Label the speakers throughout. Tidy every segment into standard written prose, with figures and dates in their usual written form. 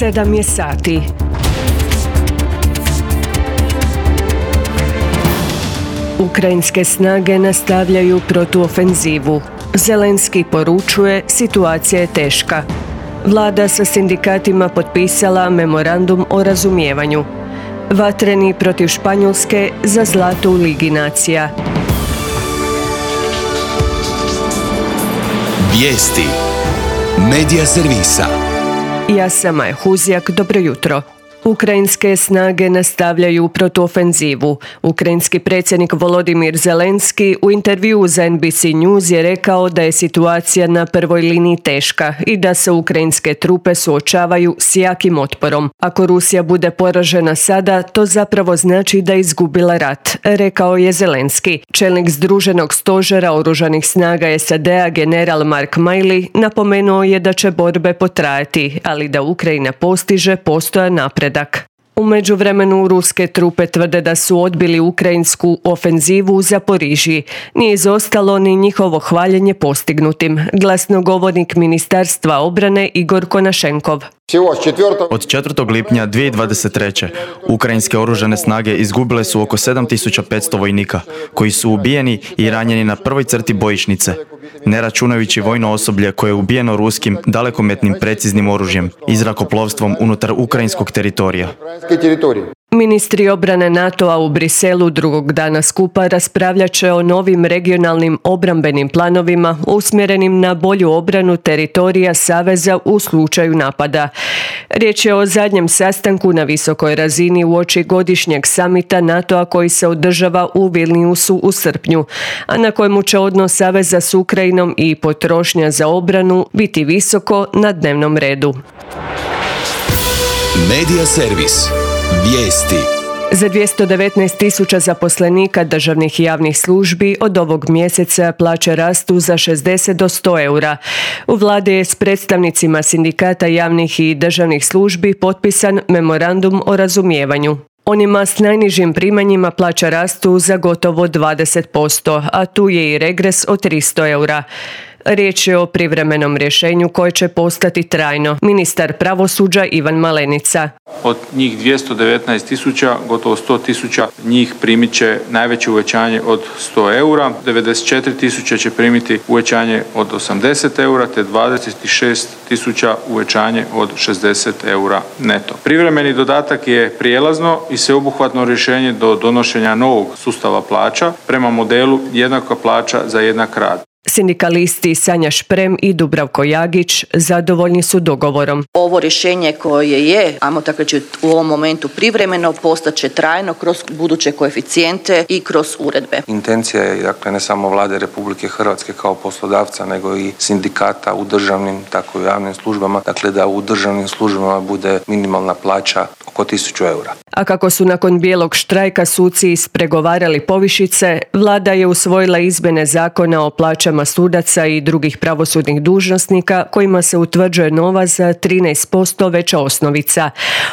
Speaker 1: 7 je sati. Ukrajinske snage nastavljaju protuofenzivu. Zelenski poručuje, situacija je teška. Vlada sa sindikatima potpisala memorandum o razumijevanju. Vatreni protiv Španjolske za zlato u Ligi nacija.
Speaker 2: Vijesti Medija servisa.
Speaker 1: Ja sam Maja Huzjak, dobro jutro. Ukrajinske snage nastavljaju protuofenzivu. Ukrajinski predsjednik Volodimir Zelenski u intervjuu za NBC News je rekao da je situacija na prvoj liniji teška i da se ukrajinske trupe suočavaju s jakim otporom. Ako Rusija bude poražena sada, to zapravo znači da je izgubila rat, rekao je Zelenski. Čelnik Združenog stožera oružanih snaga SAD-a general Mark Milley napomenuo je da će borbe potrajati, ali da Ukrajina postiže postojan napredak. U međuvremenu ruske trupe tvrde da su odbili ukrajinsku ofenzivu u Zaporižji. Nije izostalo ni njihovo hvaljenje postignutim. Glasnogovornik Ministarstva obrane Igor Konašenkov.
Speaker 3: Od 4. lipnja 2023. ukrajinske oružane snage izgubile su oko 7500 vojnika, koji su ubijeni i ranjeni na prvoj crti bojišnice, ne računajući vojno osoblje koje je ubijeno ruskim dalekometnim preciznim oružjem i zrakoplovstvom unutar ukrajinskog teritorija.
Speaker 1: Ministri obrane NATO-a u Briselu drugog dana skupa raspravljat će o novim regionalnim obrambenim planovima usmjerenim na bolju obranu teritorija Saveza u slučaju napada. Riječ je o zadnjem sastanku na visokoj razini uoči godišnjeg samita NATO-a koji se održava u Vilniusu u srpnju, a na kojemu će odnos Saveza s Ukrajinom i potrošnja za obranu biti visoko na dnevnom redu.
Speaker 2: Medija servis. Vijesti.
Speaker 1: Za 219.000 zaposlenika državnih i javnih službi od ovog mjeseca plaće rastu za 60 do 100 eura. U vladi je s predstavnicima sindikata javnih i državnih službi potpisan memorandum o razumijevanju. Onima s najnižim primanjima plaća rastu za gotovo 20%, a tu je i regres od 300 eura. Riječ je o privremenom rješenju koje će postati trajno. Ministar pravosuđa Ivan Malenica.
Speaker 4: Od njih 219.000, gotovo 100.000 njih primit će najveće uvećanje od 100 eura, 94.000 će primiti uvećanje od 80 eura, te 26.000 uvećanje od 60 eura neto. Privremeni dodatak je prijelazno i sveobuhvatno rješenje do donošenja novog sustava plaća prema modelu jednaka plaća za jednak rad.
Speaker 1: Sindikalisti Sanja Šprem i Dubravko Jagić zadovoljni su dogovorom.
Speaker 5: Ovo rješenje koje je, ajmo tako reći, u ovom momentu privremeno, postaće trajno kroz buduće koeficijente i kroz uredbe.
Speaker 6: Intencija je, dakle, ne samo Vlade Republike Hrvatske kao poslodavca, nego i sindikata u državnim, tako i u javnim službama, dakle da u državnim službama bude minimalna plaća oko 1000 eura.
Speaker 1: A kako su nakon bijelog štrajka suci ispregovarali povišice, Vlada je usvojila izmjene zakona o plaćama sudaca i drugih pravosudnih dužnosnika kojima se utvrđuje nova za 13% veća osnovica.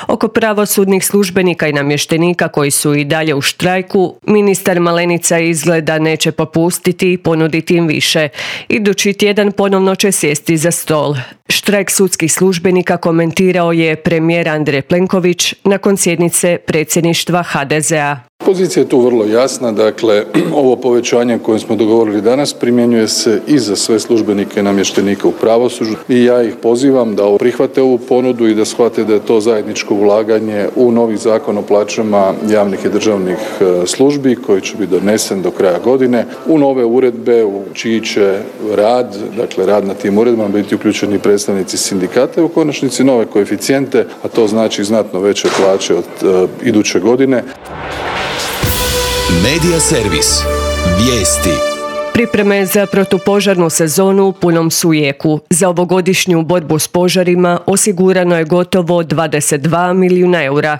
Speaker 1: Oko pravosudnih službenika i namještenika koji su i dalje u štrajku, ministar Malenica izgleda neće popustiti i ponuditi im više. Idući tjedan ponovno će sjesti za stol. Štrajk sudskih službenika komentirao je premijer Andrej Plenković nakon sjednice predsjedništva HDZ-a.
Speaker 7: Pozicija je tu vrlo jasna, dakle ovo povećanje koje smo dogovorili danas primjenjuje se i za sve službenike i namještenike u pravosuđu i ja ih pozivam da prihvate ovu ponudu i da shvate da je to zajedničko ulaganje u novi zakon o plaćama javnih i državnih službi koji će biti donesen do kraja godine, u nove uredbe u čiji će rad, dakle rad na tim uredbama biti uključeni predstavnici sindikata i u konačnici nove koeficijente, a to znači znatno veće plaće od iduće godine.
Speaker 2: Medija servis. Vijesti.
Speaker 1: Pripreme za protupožarnu sezonu u punom su jeku. Za ovogodišnju borbu s požarima osigurano je gotovo 22 milijuna eura.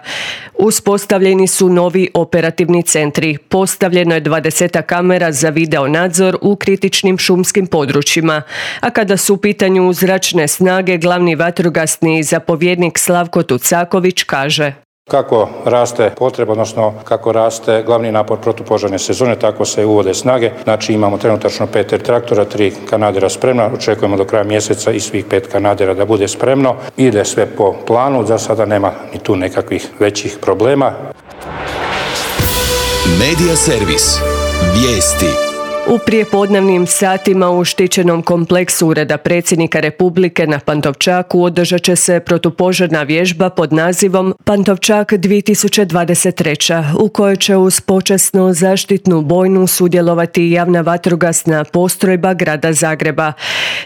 Speaker 1: Uspostavljeni su novi operativni centri. Postavljeno je 20 kamera za video nadzor u kritičnim šumskim područjima. A kada su u pitanju zračne snage, glavni vatrogasni zapovjednik Slavko Tucaković kaže:
Speaker 8: Kako raste potreba, odnosno kako raste glavni napor protupožarne sezone, tako se uvode snage. Znači imamo trenutačno 5 traktora, 3 kanadera spremna, očekujemo do kraja mjeseca i svih 5 kanadera da bude spremno. Ide sve po planu, za sada nema ni tu nekakvih većih problema.
Speaker 2: Medija servis. Vijesti.
Speaker 1: U prijepodnevnim satima u štićenom kompleksu Ureda predsjednika Republike na Pantovčaku održat će se protupožarna vježba pod nazivom Pantovčak 2023. u kojoj će uz počasnu zaštitnu bojnu sudjelovati javna vatrogasna postrojba grada Zagreba.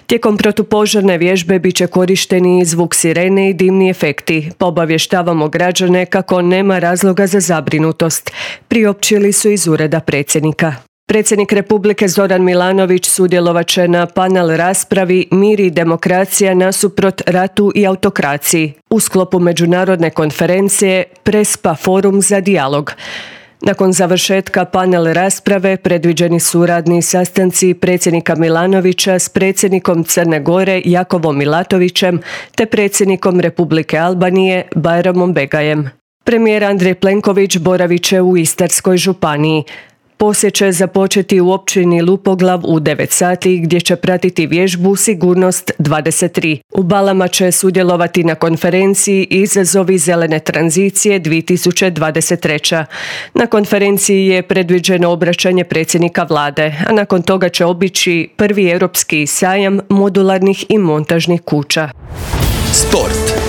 Speaker 1: Tijekom protupožarne vježbe bit će korišteni zvuk sirene i dimni efekti. Obavještavamo građane kako nema razloga za zabrinutost, priopćili su iz Ureda predsjednika. Predsjednik Republike Zoran Milanović sudjelovat će na panel raspravi Mir i demokracija nasuprot ratu i autokraciji u sklopu međunarodne konferencije Prespa forum za dijalog. Nakon završetka panel rasprave predviđeni su radni sastanci predsjednika Milanovića s predsjednikom Crne Gore Jakovom Milatovićem te predsjednikom Republike Albanije Bajramom Begajem. Premijer Andrej Plenković boravit će u Istarskoj županiji. Posjet će započeti u općini Lupoglav u 9 sati gdje će pratiti vježbu Sigurnost 23. U Balama će sudjelovati na konferenciji Izazovi zelene tranzicije 2023. Na konferenciji je predviđeno obraćanje predsjednika vlade, a nakon toga će obići prvi europski sajam modularnih i montažnih kuća.
Speaker 2: Sport.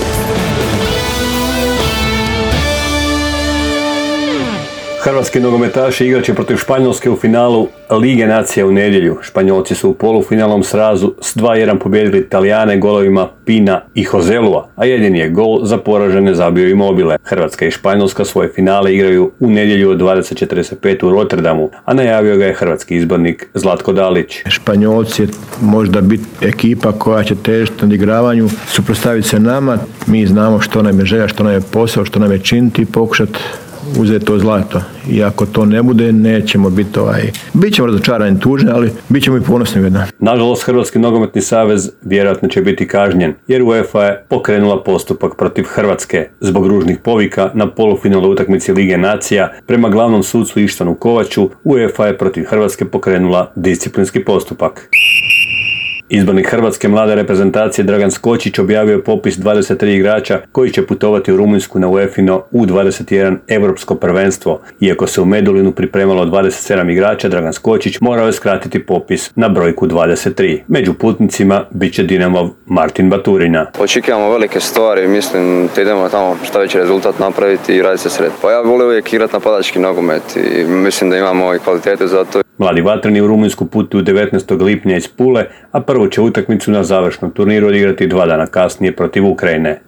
Speaker 9: Hrvatski nogometaši igrat će protiv Španjolske u finalu Lige nacija u nedjelju. Španjolci su u polufinalnom srazu s 2-1 pobijedili Talijane golovima Pina i Hozelua, a jedini je gol za poražene zabio Immobile. Hrvatska i Španjolska svoje finale igraju u nedjelju od 20:45 u Rotterdamu, a najavio ga je hrvatski izbornik Zlatko Dalić.
Speaker 10: Španjolci možda biti ekipa koja će težiti na odigravanju, suprotstaviti se nama. Mi znamo što nam je želja, što nam je posao, što nam je činiti i pokušati uzeti to zlato. I ako to ne bude, nećemo biti bit ćemo razočarani, tužni, ali bit ćemo i ponosni jedna.
Speaker 9: Nažalost, Hrvatski nogometni savez vjerojatno će biti kažnjen, jer UEFA je pokrenula postupak protiv Hrvatske zbog ružnih povika na polufinalnoj utakmici Lige nacija. Prema glavnom sucu Ištvanu Kovaču, UEFA je protiv Hrvatske pokrenula disciplinski postupak. Izbornik hrvatske mlade reprezentacije Dragan Skočić objavio je popis 23 igrača koji će putovati u Rumunjsku na UEFA-ino U21 europsko prvenstvo. Iako se u Medulinu pripremalo 27 igrača, Dragan Skočić morao je skratiti popis na brojku 23. Među putnicima bit će Dinamov Martin Baturina.
Speaker 11: Očekujemo velike stvari, mislim da idemo tamo šta veći rezultat napraviti i raditi se sred. Pa ja volim uvijek igrati napadački nogomet i mislim da imamo i kvalitete za to.
Speaker 9: Mladi vatreni u Rumunjsku putuju 19. lipnja iz Pule, a prvu će utakmicu na završnom turniru odigrati 2 dana kasnije protiv Ukrajine.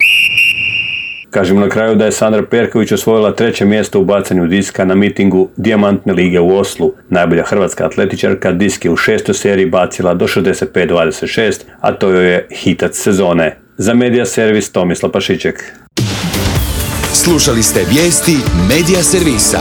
Speaker 9: Kažemo na kraju da je Sandra Perković osvojila 3. mjesto u bacanju diska na mitingu Dijamantne lige u Oslu. Najbolja hrvatska atletičarka disk je u 6. seriji bacila do 65-26, a to joj je hitac sezone. Za Medija servis Tomislav Pašiček.
Speaker 2: Slušali ste vijesti Medija servisa.